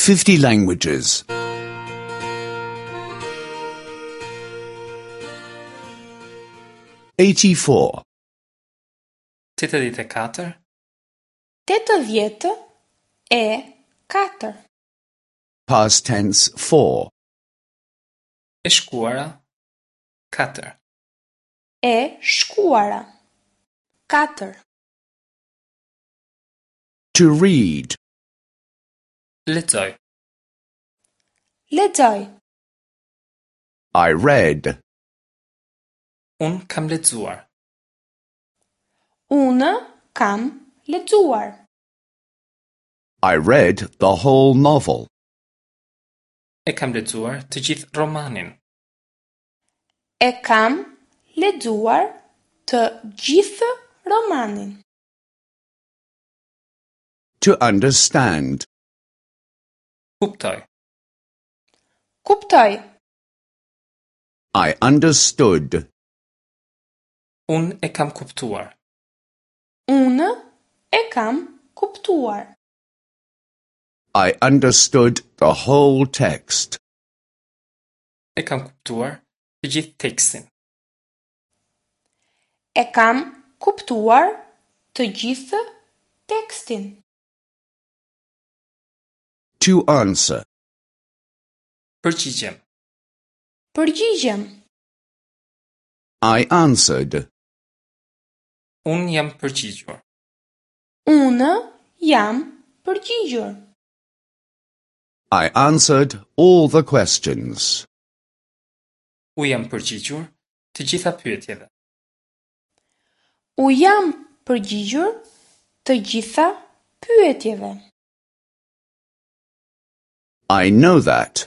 50 languages. 84. 84. 84. Past tense 4. E shkuara 4. E shkuara. 4. To read. Lexoj. Lexoj. I read. Unë kam lexuar. Unë kam lexuar. I read the whole novel. E kam lexuar të gjithë romanin. E kam lexuar të gjithë romanin. To understand. Kuptoj. Kuptoj. I understood. Unë e kam kuptuar. Unë e kam kuptuar. I understood the whole text. E kam kuptuar të gjithë tekstin. E kam kuptuar të gjithë tekstin. To answer. Përgjigjem. Përgjigjem. I answered. Unë jam përgjigjur. Unë jam përgjigjur. I answered all the questions. U jam përgjigjur të gjitha pyetjeve. U jam përgjigjur të gjitha pyetjeve. I know that.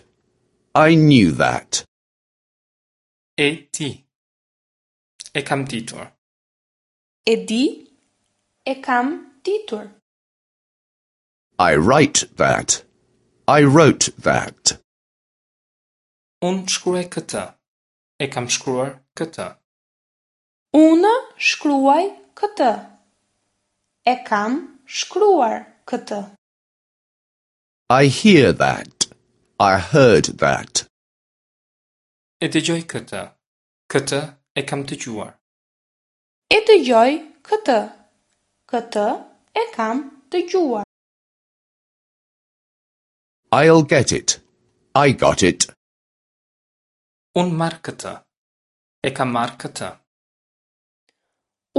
I knew that. E di. E kam ditur. E di, e kam ditur. I write that. I wrote that. Unë shkruaj këtë. E kam shkruar këtë. Unë shkruaj këtë. E kam shkruar këtë. I hear that. I heard that. E dëgjoj këtë. Këtë e kam dëgjuar. E dëgjoj këtë. Këtë e kam dëgjuar. I'll get it. I got it. Unë marr këtë. E kam marrë këtë.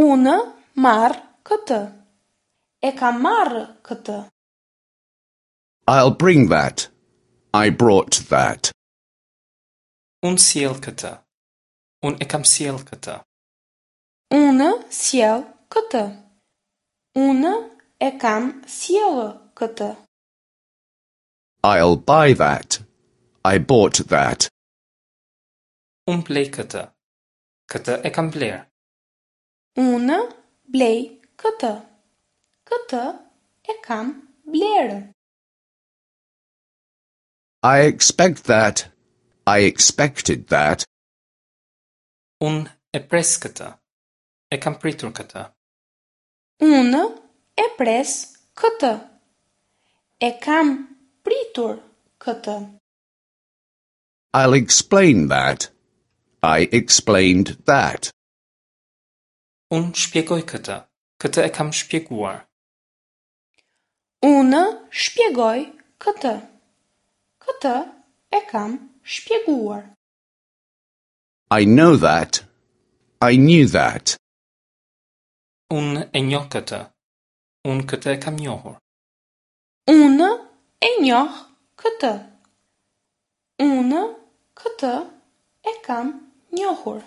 Unë marr këtë. E kam marrë këtë. I'll bring that. I brought that. Unë sjell këtë. Unë e kam sjell këtë. Unë sjell këtë. Unë e kam sjellë këtë. I'll buy that. I bought that. Unë blej këtë. Këtë e kam blerë. Unë blej këtë. Këtë e kam blerë. I expect that. I expected that. Unë e pres këtë. E kam pritur këtë. Unë e pres këtë. E kam pritur këtë. I'll explain that. I explained that. Unë shpjegoj këtë. Këtë e kam shpjeguar. Unë shpjegoj këtë. Këtë e kam shpjeguar. I know that. I knew that. Unë e njoh këtë. Unë këtë e kam njohur. Unë e njoh këtë. Unë këtë e kam njohur.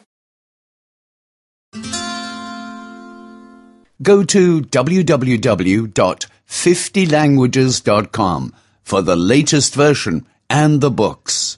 Go to www.50languages.com for the latest version and the books.